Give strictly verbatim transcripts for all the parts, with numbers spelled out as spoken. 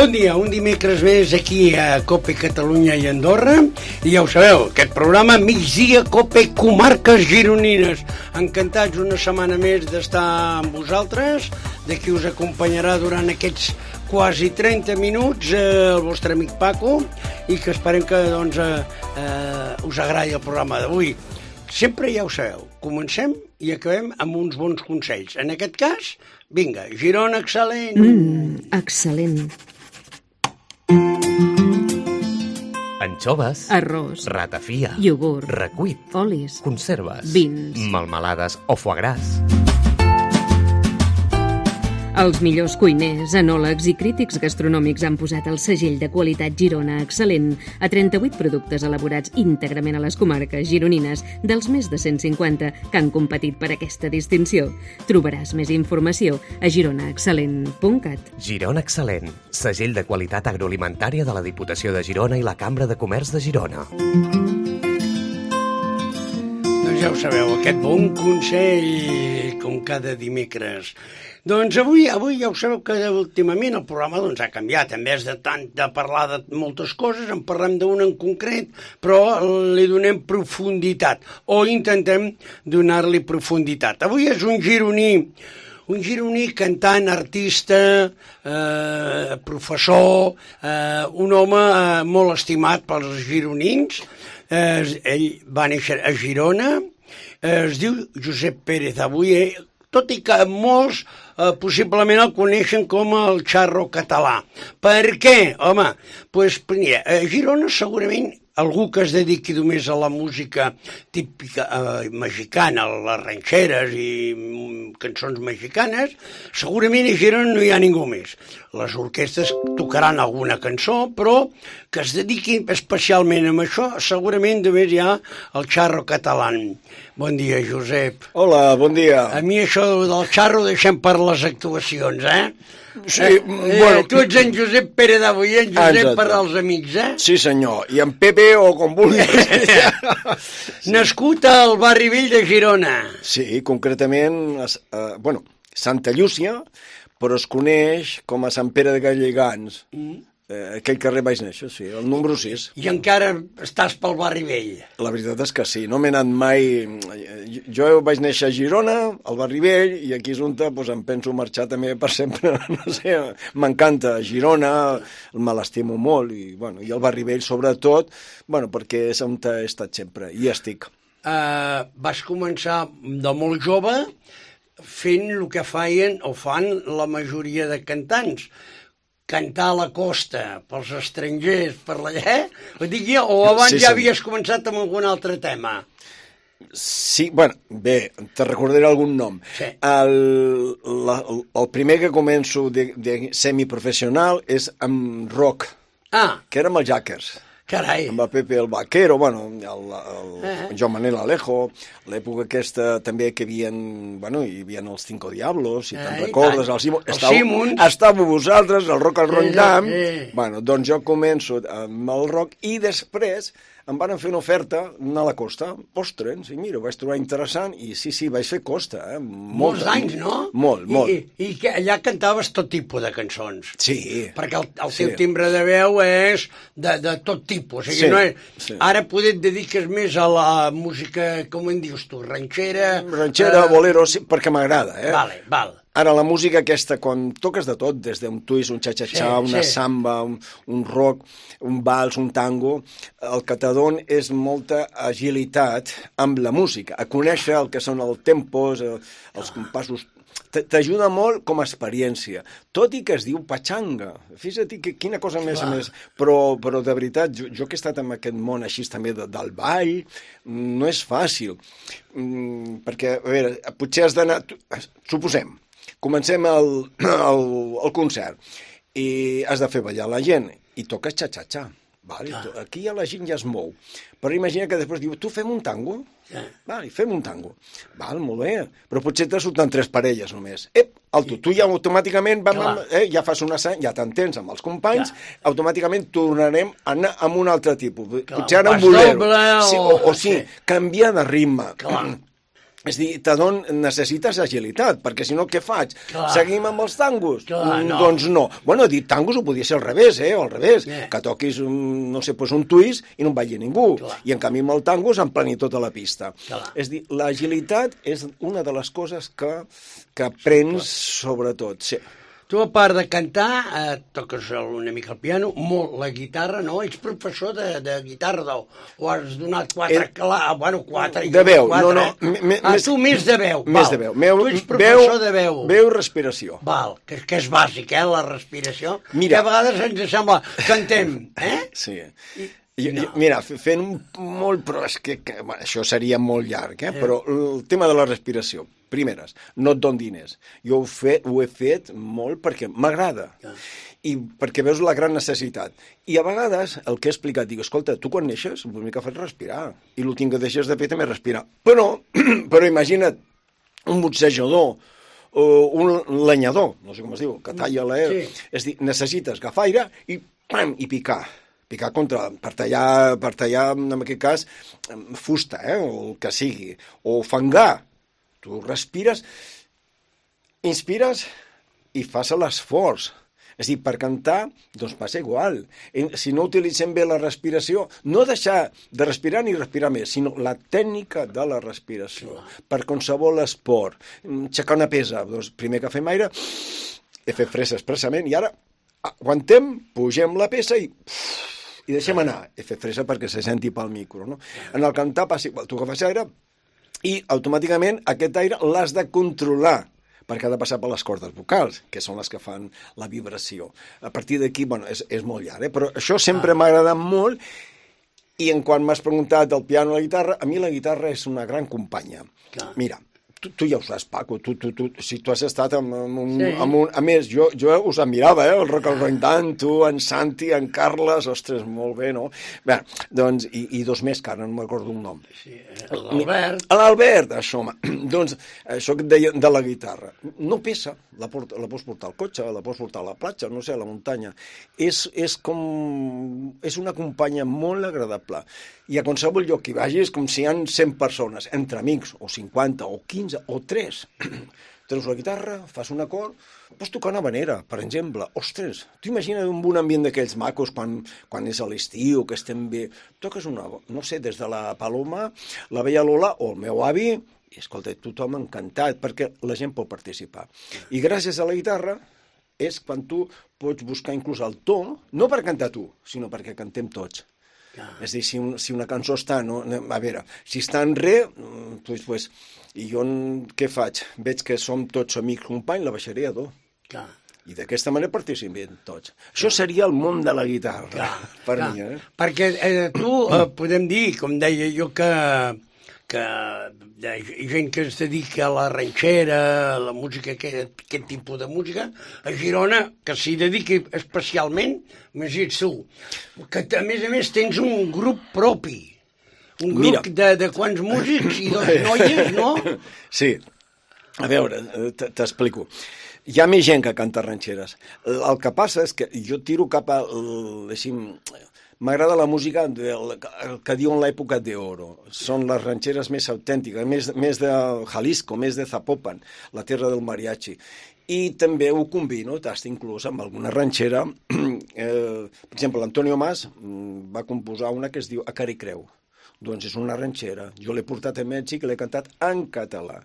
Bon dia, un dimecres més aquí a Cope Catalunya i Andorra, i ja ho sabeu, aquest programa Migdia Cope Comarques Gironines. Encantats una setmana més d'estar amb vosaltres, de qui us acompanyarà durant aquests quasi trenta minuts eh, el vostre amic Paco, i que esperem que doncs, eh, eh, us agradi el programa d'avui. Sempre ja ho sabeu, comencem i acabem amb uns bons consells. En aquest cas, vinga, Girona excel·lent! Mmm, excel·lent. Anxoves, arròs, ratafia, iogurt, recuit, olis, conserves, vins, melmelades o foie gras. Els millors cuiners, enòlegs i crítics gastronòmics han posat el segell de qualitat Girona excel·lent a trenta-vuit productes elaborats íntegrament a les comarques gironines dels més de cent cinquanta que han competit per aquesta distinció. Trobaràs més informació a girona excel·lent punt cat. Girona excel·lent, segell de qualitat agroalimentària de la Diputació de Girona i la Cambra de Comerç de Girona. Doncs ja ho sabeu, aquest bon consell, com cada dimecres. Doncs avui, avui ja ho sabeu que últimament el programa doncs, ha canviat. En vez de tant de parlar de moltes coses, en parlem d'una en concret, però li donem profunditat, o intentem donar-li profunditat. Avui és un gironí, un gironí cantant, artista, eh, professor, eh, un home eh, molt estimat pels gironins. Eh, ell va néixer a Girona, eh, es diu Josep Pérez. Avui, eh, tot i que molts eh, possiblement el coneixen com el Charro català. Per què? Home, doncs, mira, a Girona segurament algú que es dediqui només a la música típica eh, mexicana, les ranxeres i mm, cançons mexicanes, segurament a Girona no hi ha ningú més. Les orquestres tocaran alguna cançó, però que es dediqui especialment a això, segurament només hi ha el Charro català. Bon dia, Josep. Hola, bon dia. A mi això del Charro deixem per les actuacions, eh? Sí, eh, bueno... Eh, tu ets en Josep Pere d'avui, en Josep Exacte. Per als amics, eh? Sí, senyor. I en Pepe o com vulguis. Sí. Nascut al barri vell de Girona. Sí, concretament, uh, bueno, Santa Llúcia, però es coneix com a Sant Pere de Gallegans. Mm. Eh, aquell carrer vaig néixer, sí, el número sis. I encara estàs pel barri vell? La veritat és que sí, no m'he anat mai... Jo vaig néixer a Girona, al barri vell, i aquí és on doncs, em penso marxar també per sempre. No sé, m'encanta Girona, me l'estimo molt, i, bueno, i el barri vell sobretot, bueno, perquè és on he estat sempre, i estic. Uh, vas començar de molt jove fent el que feien o fan la majoria de cantants, cantar a la costa, pels estrangers, per l'allà, ho dic jo, o abans sí, ja sí. havies començat amb algun altre tema? Sí, bueno, bé, te recordaré algun nom. Sí. El, la, el primer que començo de, de semiprofessional és amb rock, ah. que era amb els Jackers. Carai. Amb el Pepe el Vaquero, bueno, el, el, el eh. Joan Manel Alejo, l'època aquesta també que hi havia, bueno, hi havia els Cinco Diablos, si te'n recordes, el Simons. Estàveu, estàveu vosaltres, el Rock al Rondam. Sí, sí. Bueno, doncs jo començo amb el rock i després em van fer una oferta anar a la costa. Ostres, i mira, ho vaig trobar interessant i sí, sí, vaig fer costa. Eh? Molts anys, no? Molt, molt. I, i, i que allà cantaves tot tipus de cançons. Sí. Perquè el, el teu sí. timbre de veu és de, de tot tipus. O sigui, sí, no és, sí. Ara poder et dediques més a la música, com en dius tu, ranxera... Ranxera, uh... bolero, sí, perquè m'agrada, eh? Vale, val. Ara, la música aquesta, quan toques de tot, des d'un twist, un xa-xa-xa, sí, una sí. samba, un, un rock, un vals, un tango, el que t'adon és molta agilitat amb la música, a conèixer el que són els tempos, els compassos. T'ajuda molt com a experiència, tot i que es diu patxanga. Fixa't que quina cosa més a més. Però, però de veritat, jo, jo que he estat en aquest món així també de, del ball, no és fàcil. Mm, perquè, a veure, potser has d'anar... Suposem, comencem el, el, el concert i has de fer ballar la gent i toques xa-xa-xa. Vale, aquí ja la gent ja es mou. Però imagina que després diu, tu fem un tango? Sí. Vale, fem un tango. Val, molt bé. Però potser te surten tres parelles només. Ep, alto, tu ja automàticament vam, eh, ja fas una sang, ja t'entens amb els companys, Clar. automàticament tornarem a anar amb un altre tipus. Clar, potser ara un bolero. O... Sí, o, o sí, sí, canviar de ritme. Clar. És dir, Tadón, necessites agilitat, perquè si no, què faig? Clar. Seguim amb els tangos? Clar, no. Doncs no. Bueno, dir tangos ho podia ser al revés, eh? Al revés. Yeah. Que toquis, un, no sé, pues un twist i no en vagi ningú. Clar. I en canvi amb el tango s'emplani tota la pista. Clar. És dir, l'agilitat és una de les coses que, que aprens sobretot. Sí. Tu, a part de cantar, eh, toques una mica el piano, molt la guitarra, no? Ets professor de, de guitarra, no? O has donat quatre... Eh, clar, bueno, quatre... De veu, quatre, no, no. Eh? Ah, tu més de veu. Més val. de veu. Meu, tu ets professor veu, de veu. Veu i respiració. Val, que, que és bàsic, eh, la respiració. Mira. Que a vegades ens sembla que cantem, eh? Sí. I, I, no. Mira, fent molt... Però és que, que bueno, això seria molt llarg, eh? eh? Però el tema de la respiració, primeres, no et don diners. Jo ho, fe, ho he fet molt perquè m'agrada. Ah. I perquè veus la gran necessitat. I a vegades el que he explicat, dic, escolta, tu quan neixes, el primer que fas respirar. I l'últim que deixes de fer també respirar. Però, però imagina't un boxejador, o un lenyador, no sé com es diu, que talla l'aire. Sí. És dir, necessites agafar aire i, pam, i picar. Picar contra, per tallar, per tallar, en aquest cas, fusta, eh, o el que sigui. O fangar. Tu respires, inspires i fas l'esforç. És a dir, per cantar, doncs passa igual. Si no utilitzem bé la respiració, no deixar de respirar ni respirar més, sinó la tècnica de la respiració. Per qualsevol esport. Aixecar una pesa, doncs primer que fem aire, he fet fresa expressament, i ara aguantem, pugem la pesa i... i deixem anar. He fet fresa perquè se senti pel micro, no? En el cantar passa igual. Tu agafes aire i automàticament aquest aire l'has de controlar, perquè ha de passar per les cordes vocals, que són les que fan la vibració. A partir d'aquí, bueno, és, és molt llarg, eh? Però això sempre ah. m'ha agradat molt, i en quan m'has preguntat del piano o la guitarra, a mi la guitarra és una gran companya. Ah. Mira, tu, tu ja ho saps, Paco, tu, tu, tu, si tu has estat amb, amb, un, sí. amb un... A més, jo, jo us admirava, eh? El Rock al Roindant, tu, en Santi, en Carles, ostres, molt bé, no? Bé, doncs, i, i dos més, que ara no m'acordo un nom. Sí, l'Albert. L'Albert, això, home. Doncs, això que et deia de la guitarra. No pesa, la, port, la pots portar al cotxe, la pots portar a la platja, no sé, a la muntanya. És, és com... És una companya molt agradable. I a qualsevol lloc que hi vagis, com si hi ha cent persones, entre amics, o cinquanta, o quinze, o tres. Treus la guitarra, fas un acord, pots tocar una habanera, per exemple. Ostres, tu imagina un ambient d'aquells macos quan, quan és a l'estiu, que estem bé. Toques una, no sé, des de la Paloma, la Bella Lola o el meu avi, i escolta, tothom encantat, perquè la gent pot participar. I gràcies a la guitarra és quan tu pots buscar inclús el to, no per cantar tu, sinó perquè cantem tots. Ah. És a dir, si, un, si una cançó està, no, a veure, si està en re, doncs, pues, i jo què faig? Veig que som tots amics companys, la baixaré a do. Clar. I d'aquesta manera participem tots. Clar. Això seria el món de la guitarra, clar, per clar. mi. Eh? Perquè eh, tu, eh, podem dir, com deia jo, que, que hi ha gent que es dedica a la ranxera, a la música, aquest, aquest tipus de música, a Girona, que s'hi dediqui especialment, imagina't tu, que a més a més tens un grup propi, un grup de, de quants músics i dos noies, no? Sí, a veure, t'explico. Hi ha més gent que canta ranxeres. El que passa és que jo tiro cap a... M'agrada la música del, que diuen l'època d'oro. Són les ranxeres més autèntiques, més, més de Jalisco, més de Zapopan, la terra del mariachi. I també ho combino, t'has inclús amb alguna ranxera. Eh, per exemple, l'Antonio Mas va composar una que es diu A Cara i Creu. Doncs és una ranxera. Jo l'he portat a Mèxic i l'he cantat en català.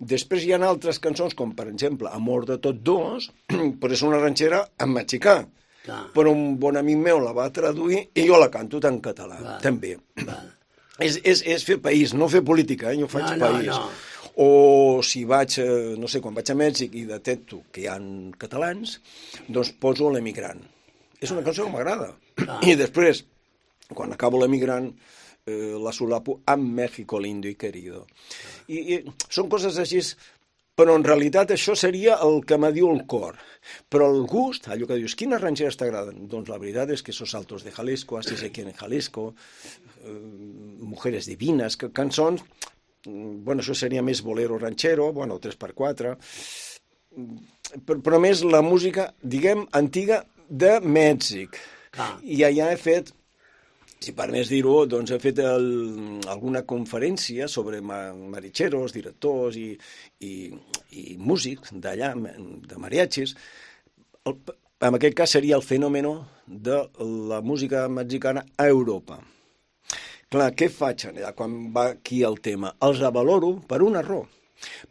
Després hi ha altres cançons, com per exemple Amor de tots dos, però és una ranxera en mexicà. Clar. Però un bon amic meu la va traduir i jo la canto en català, clar, també. Clar. És, és, és fer país, no fer política, eh? Jo faig no, país. No, no. O si vaig, no sé, quan vaig a Mèxic i detecto que hi ha catalans, doncs poso l'emigrant. És una cançó que m'agrada. I després, quan acabo l'emigrant, eh, la solapo amb México lindo y querido. I, i són coses així, però en realitat això seria el que me diu el cor. Però el gust, allò que dius, quines ranxeres t'agraden? Doncs la veritat és que esos altos de Jalisco, Así se quiere en Jalisco, eh, Mujeres divinas, que, cançons, bueno, això seria més bolero ranxero, bueno, tres per quatre, però, però més la música, diguem, antiga de Mèxic. Ah. I allà he fet si per més dir-ho, doncs he fet el, alguna conferència sobre maricheros, directors i, i, i músics d'allà, de mariachis. El, en aquest cas seria el fenomen de la música mexicana a Europa. Clar, què faig allà quan va aquí el tema? Els avaloro per un error,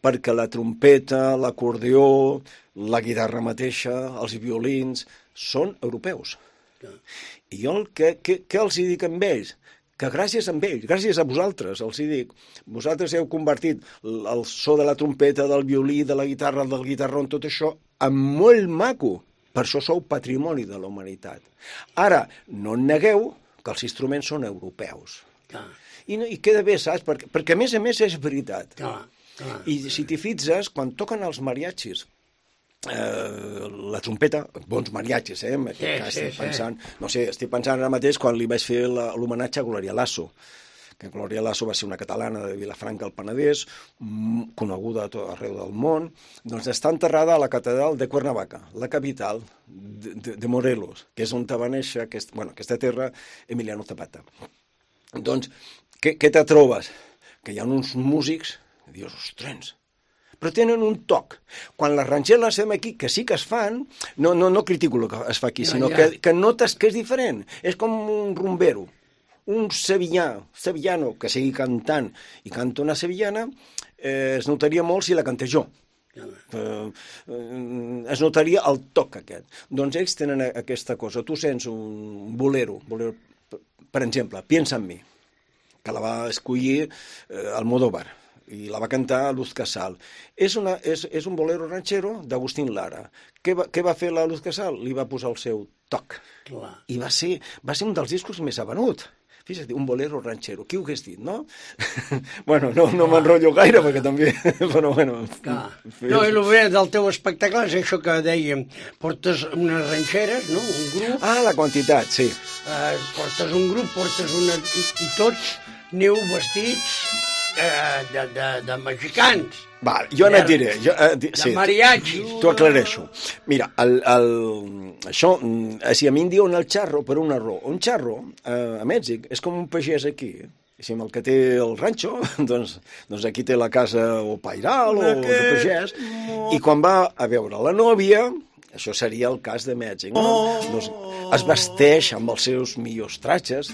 perquè la trompeta, l'acordió, la guitarra mateixa, els violins, són europeus. I jo què, què, què els hi dic amb ells? Que gràcies a ells, gràcies a vosaltres, els hi dic, vosaltres heu convertit el so de la trompeta, del violí, de la guitarra, del guitarrón, tot això, en molt maco. Per això sou patrimoni de la humanitat. Ara, no negueu que els instruments són europeus. Clar. I, no, i queda bé, saps? Perquè, perquè a més a més és veritat. Clar, clar. I si t'hi fixes, quan toquen els mariachis, Eh, la trompeta, bons mariachis, eh? En aquest sí, cas sí, estic pensant, sí. no sé, estic pensant ara mateix quan li vaig fer l'homenatge a Gloria Lasso, que Gloria Lasso va ser una catalana de Vilafranca al Penedès, coneguda a tot arreu del món, doncs està enterrada a la catedral de Cuernavaca, la capital de, de, de Morelos, que és on va néixer aquest, bueno, aquesta terra, Emiliano Zapata. Doncs, què, què te trobes? Que hi ha uns músics, i dius, ostres, però tenen un toc. Quan les ranxeres les fem aquí, que sí que es fan, no, no, no critico el que es fa aquí, no, sinó ja. que, que notes que és diferent. És com un rumbero, un sevillà, sevillano, que sigui cantant i canta una sevillana, eh, es notaria molt si la cantés jo. Ja. Eh, eh, es notaria el toc aquest. Doncs ells tenen aquesta cosa. Tu sents un bolero, bolero per exemple, Piensa en mi, que la va escollir eh, Almodóvar, i la va cantar Luz Casal. És, una, és, és un bolero ranxero d'Agustín Lara. Què va, què va fer la Luz Casal? Li va posar el seu toc. Clar. I va ser, va ser un dels discos més venut. Fixa't, un bolero ranxero. Qui ho hagués dit, no? bueno, no, no m'enrotllo gaire, perquè també... Però, bueno... Fes... No, i el bé del teu espectacle és això que dèiem. Portes unes ranxeres, no? Un grup... Ah, la quantitat, sí. Eh, portes un grup, portes una... I, i tots aneu vestits... Eh, de, de, de mexicans. Va, jo no et diré. Jo, eh, di, de sí, mariachis. T'ho aclareixo. Mira, el, el, això, si a mi em diuen el charro per un error. Un charro, eh, a Mèxic, és com un pagès aquí. Si el que té el ranxo, doncs, doncs aquí té la casa o pairal o de pagès, i quan va a veure la nòvia, això seria el cas de Mèxic, no? Doncs es vesteix amb els seus millors tratges,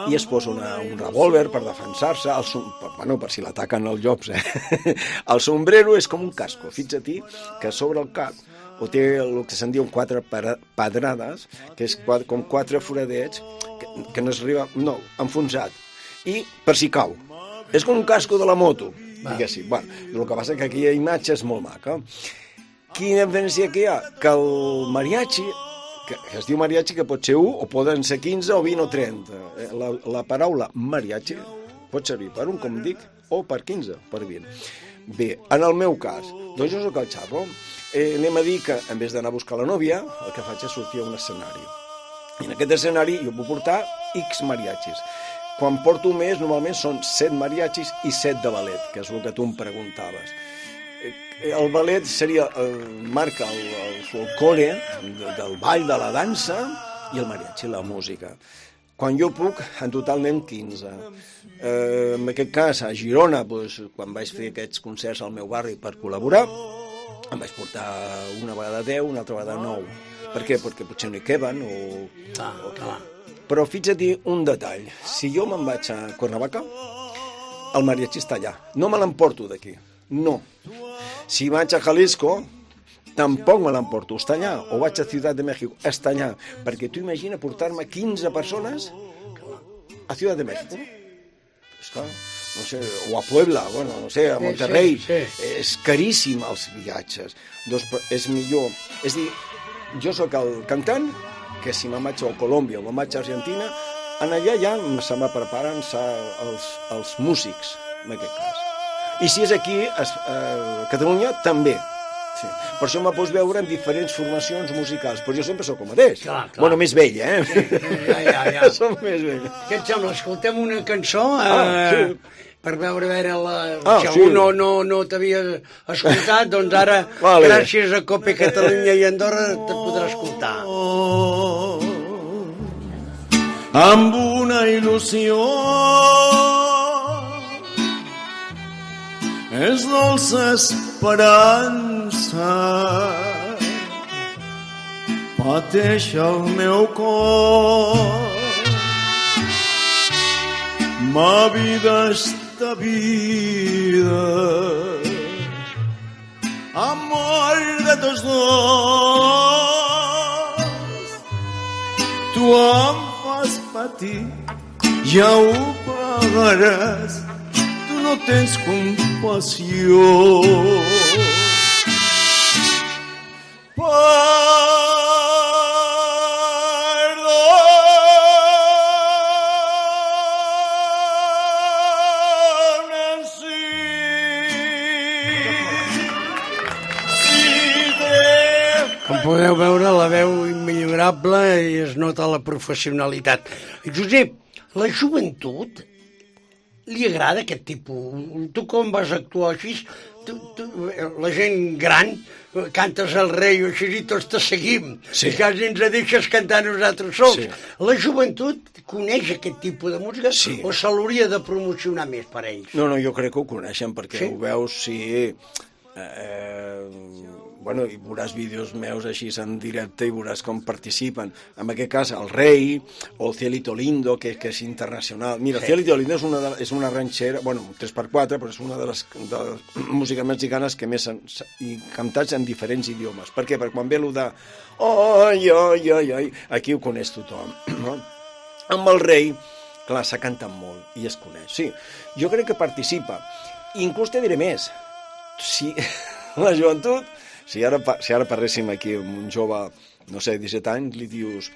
i es posa una, un revòlver per defensar-se, per, bueno, per si l'ataquen els llops. Eh? El sombrero és com un casco. Fixa't que sobre el cap o té el que se'n diuen quatre pedrades, que és quatre, com quatre foradets, que, que no es arriba, no, enfonsat. I per si cau. És com un casco de la moto, diguéssim. Bueno, el que passa és que aquella imatge és molt maca. Quina diferència que hi ha? Que el mariachi... que es diu mariachi, que pot ser u, o poden ser quinze, o vint, o trenta. La, la paraula mariachi pot servir per un, com dic, o per quinze, per vint. Bé, en el meu cas, doncs jo soc el xarro, eh, anem a dir que, en vez d'anar a buscar la nòvia, el que faig és sortir a un escenari. I en aquest escenari jo puc portar X mariachis. Quan porto més, normalment són set mariachis i set de ballet, que és el que tu em preguntaves. El ballet seria, eh, marca el, el folclore de, del ball, de la dansa, i el mariachi, la música. Quan jo puc, en total anem quinze. Eh, en aquest cas, a Girona, doncs, quan vaig fer aquests concerts al meu barri per col·laborar, em vaig portar una vegada deu, una altra vegada nou. Per què? Perquè potser no hi queben, o... Ah, o clar. Però fixa't un detall. Si jo me'n vaig a Cuernavaca, el mariachi està allà. No me l'emporto d'aquí. No. Si vaig a Jalisco, tampoc me l'emporto, està allà. O vaig a Ciutat de México, està allà. Perquè tu imagina portar-me quinze persones a Ciutat de México. És clar, no sé, o a Puebla, bueno, no sé, a Monterrey. Sí, sí, sí. És caríssim els viatges. Doncs és millor. És dir, jo sóc el cantant, que si me'n vaig a Colòmbia o me'n vaig a Argentina, en allà ja se me preparen els, els músics, en aquest cas. I si és aquí, a Catalunya, també. Sí. Per això me pots veure en diferents formacions musicals, però jo sempre sóc el mateix. Clar, clar. Bueno, més vell, eh? Sí, ja, ja, ja. Som més vell. Què et sembla? Escoltem una cançó eh, ah, sí. per veure, veure la... Ah, si sí. algú no, no, no t'havia escoltat, doncs ara, vale. Gràcies a Cope Catalunya i Andorra, te podrà escoltar. amb una il·lusió. És dolça esperança, pateix el meu cor. Ma vida esta vida, amor de tots dos. Tu em fas patir, ja ho pagaràs. Tu no tens compassió. Podeu veure la veu immillorable i es nota la professionalitat. Josep, la joventut li agrada aquest tipus? Tu com vas actuar així? Tu, tu, la gent gran, cantes el rei o així i tots te seguim. Sí. I quasi ens deixes cantar nosaltres sols. Sí. La joventut coneix aquest tipus de música Sí. o se l'hauria de promocionar més per ells? No, no, jo crec que ho coneixen, perquè Sí? ho veus, sí... Eh, bueno, i veuràs vídeos meus així en directe i veuràs com participen. En aquest cas, el Rei o el Cielito Lindo, que, que és internacional. Mira, el Cielito Lindo és una, de, és una ranxera, bueno, tres per quatre, però és una de les, de les músiques mexicanes que més han, i cantats en diferents idiomes. Per què? Perquè quan ve allò de oi, oi, oi, oi, aquí ho coneix tothom, no? Amb el Rei, clar, s'ha cantat molt i es coneix. Sí, jo crec que participa. Inclús te diré més. Si la joventut, si ara, si ara parléssim aquí amb un jove, no sé, disset anys, li dius,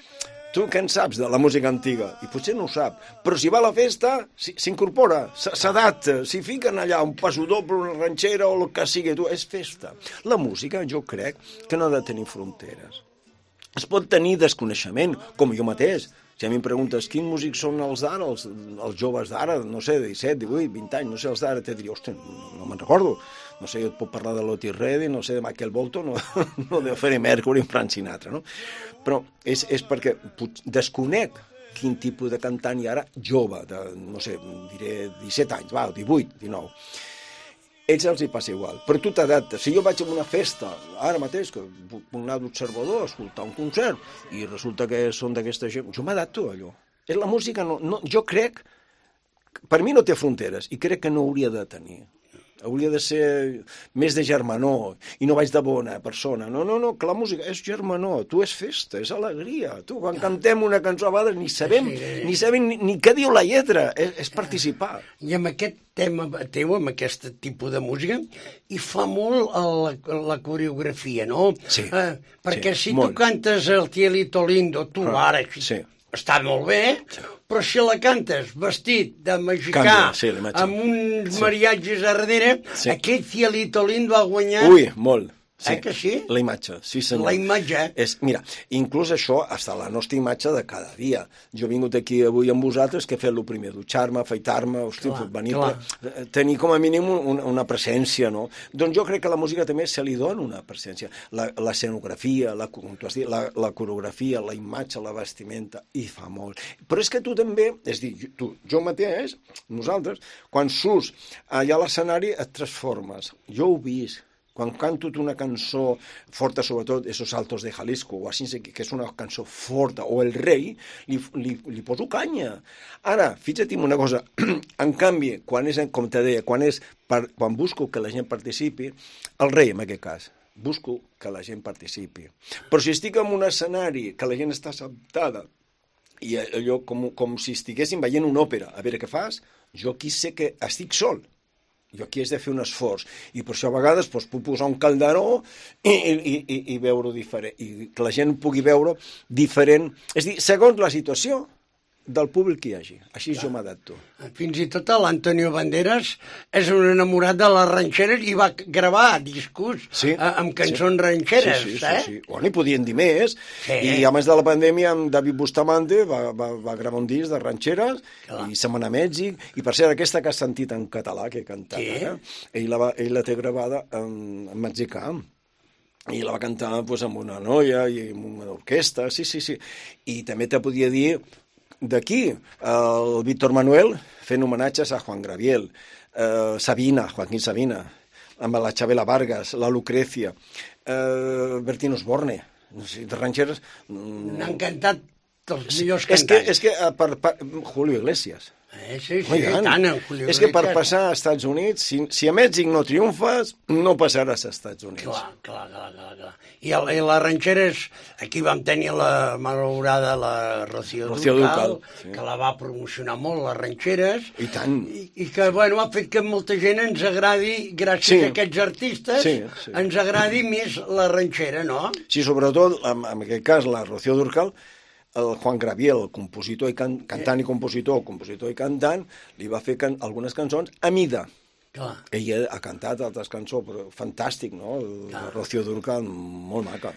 tu què en saps de la música antiga? I potser no ho sap, però si va a la festa, s'incorpora, s'adapta, s'hi fiquen allà un passo doble, una ranxera o el que sigui, tu, és festa. La música, jo crec que no ha de tenir fronteres. Es pot tenir desconeixement, com jo mateix. Si a mi em preguntes quins músics són els d'ara, els, els joves d'ara, no sé, de disset, divuit, vint anys, no sé, els d'ara, te diria, ostres, no, no me'n recordo. No sé, jo et puc parlar de l'Otis Redding, no sé, de Michael Bolton, no, no de Freddie Mercury, Frank Sinatra, no? Però és, és perquè desconec quin tipus de cantant hi ha ara jove, de, no sé, diré disset anys, va, divuit, dinou. Ells els hi passa igual, però tu t'adaptes. Si jo vaig a una festa, ara mateix, que puc anar d'observador a escoltar un concert, i resulta que són d'aquesta gent, jo m'adapto a allò. És la música, no, no, jo crec, per mi no té fronteres, i crec que no hauria de tenir. Hauria de ser més de germanor, i no vaig de bona persona. No, no, no, que la música és germanor, tu és festa, és alegria. Tu, quan cantem una cançó a vegades, ni sabem, ni, sabem ni, ni què diu la lletra, és, és participar. I amb aquest tema teu, amb aquest tipus de música, hi fa molt la, la coreografia, no? Sí. Eh, perquè sí, si molt. tu cantes el Cielito Lindo, tu Ah, ara, sí. està molt bé, però si la cantes vestit de mexicà, Canvia, sí, la imatge. amb uns Sí. mariatges a darrere, Sí. aquest Cielito Lindo ha guanyat... Ui, molt. Sí. Eh que sí? La imatge, sí senyor. La imatge. És, mira, inclús això està la nostra imatge de cada dia. Jo he vingut aquí avui amb vosaltres, que he fet el primer, dutxar-me, afaitar-me, hosti, Clar, venir, clar. per, tenir com a mínim una, una presència, no? Doncs jo crec que la música també se li dona una presència. La, la escenografia, la, com tu has dit, la, la coreografia, la imatge, la vestimenta, i fa molt. Però és que tu també, és dir, tu, jo mateix, nosaltres, quan surts allà a l'escenari et transformes. Jo ho he vist. Quan canto una cançó forta, sobretot, esos Altos de Jalisco, o així, que és una cançó forta, o El Rei, li, li, li poso canya. Ara, fixa't en una cosa, en canvi, quan és, com te deia, quan, és, per, quan busco que la gent participi, El Rei, en aquest cas, busco que la gent participi. Però si estic en un escenari que la gent està assentada, i allò com, com si estiguéssim veient una òpera, a veure què fas, jo aquí sé que estic sol. Jo aquí has de fer un esforç, i per això a vegades doncs, puc posar un calderó i, i, i, i veure-ho diferent, i que la gent pugui veure diferent, és a dir, segons la situació del públic que hi hagi. Així jo m'adapto. Fins i tot l'Antonio Banderas és un enamorat de les ranxeres i va gravar discos Sí, eh, amb cançons sí. ranxeres, sí, sí, eh? sí, sí. Bueno, i podien dir més. Sí. I a més de la pandèmia, amb David Bustamante va, va, va gravar un disc de ranxeres Clar. i se'n va anar a Mèxic. I per cert, aquesta que has sentit en català, que he cantat, Sí. eh? ell, la va, ell la té gravada en, en mexicà. I la va cantar pues, amb una noia i amb una orquestra, sí, sí, sí. I també te podia dir d'aquí, el Víctor Manuel fent homenatges a Juan Gabriel, eh, Sabina, Joaquín Sabina, amb la Chabela Vargas, la Lucrecia, eh, Bertín Osborne, no sé, de ranxeres... N'han cantat els millors és cantants. Que, és que per, per, Julio Iglesias. Eh, sí, sí, Oi, tant, tant, en Julio és que per Iglesias. passar als Estats Units, si, si a Mèxic no triomfes, no passaràs als Estats Units. Clar, clar, clar, clar, clar. I, el, i les ranxeres, aquí vam tenir la malaurada, la Rocío, Rocío Dúrcal, Dúrcal, sí. que la va promocionar molt, les ranxeres. I tant. I, i que, bueno, ha fet que molta gent ens agradi, gràcies Sí. a aquests artistes, Sí, sí. ens agradi més la ranxera, no? Sí, sobretot, en, en aquest cas, la Rocío Dúrcal, el Juan Gabriel, el compositor i can, cantant i compositor, compositor i cantant, li va fer can, algunes cançons a mida. Clar. Ella ha cantat altres cançons, però fantàstic, no? La Rocío Dúrcal, molt maca.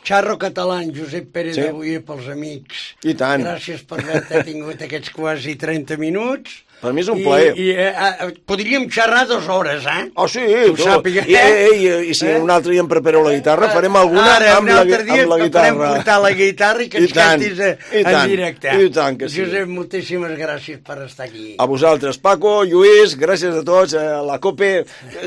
Xarro català, Josep Pérez Sí. d'avui pels amics. I tant. Gràcies per haver tingut aquests quasi trenta minuts. Per mi és un I, plaer. I, eh, eh, podríem xerrar dues hores, eh? Oh, sí, ho tu, sàpiga, i, eh? i, i, i si un altre dia em preparo la guitarra, farem alguna Ara, amb, un la, altre dia amb la podem guitarra. portar la guitarra i que I ens tant, cantis eh, i en tant, directe. i tant que sí. Josep, moltíssimes gràcies per estar aquí. A vosaltres, Paco, Lluís, gràcies a tots, a la COPE.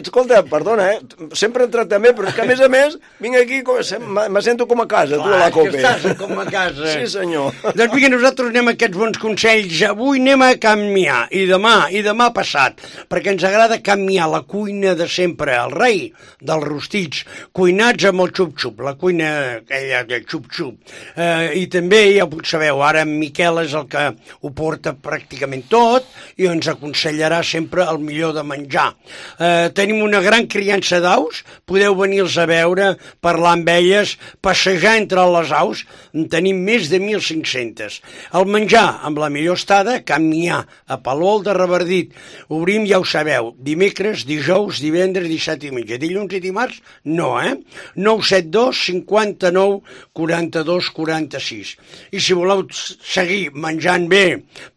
Escolta, perdona, eh? Sempre he entrat també, però és que a més a més vinc aquí, com- sem- me sento com a casa, tu, a la Clar, COPE. que estàs com a casa. Sí, senyor. Doncs vinga, nosaltres anem a aquests bons consells. Avui anem a canviar, i demà, i demà passat, perquè ens agrada canviar la cuina de sempre, el rei dels rostits, cuinats amb el xup-xup, la cuina aquella de xup-xup. Eh, I també, ja ho sabeu, ara en Miquel és el que ho porta pràcticament tot i ens aconsellarà sempre el millor de menjar. Eh, tenim una gran criança d'aus, podeu venir-los a veure, parlar amb elles, passejar entre les aus, en tenim més de mil cinc-cents. El menjar amb la millor estada, Canmià, a Palol de Revardit. Obrim, ja ho sabeu, dimecres, dijous, divendres, dissabte i diumenge. Dilluns i dimarts, no, eh? nou set dos cinquanta-nou quaranta-dos quaranta-sis. I si voleu seguir menjant bé,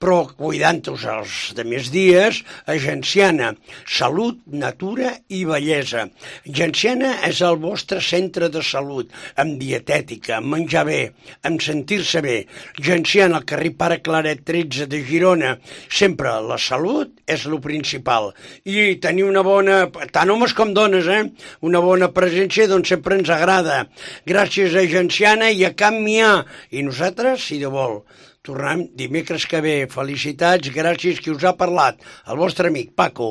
però cuidant-vos els de més dies, Agenciana, Salut, Natura i Bellesa. Agenciana és el vostre centre de salut, amb dietètica, amb menjar bé, amb sentir-se bé. Agenciana, al carrer Pare Claret tretze de Girona. Sempre la salut és lo principal. I tenir una bona, tant homes com dones, eh? Una bona presència, doncs sempre ens agrada. Gràcies a Agenciana i a Canmià. I nosaltres, si de vol, tornem dimecres que ve. Felicitats, gràcies qui us ha parlat. El vostre amic Paco.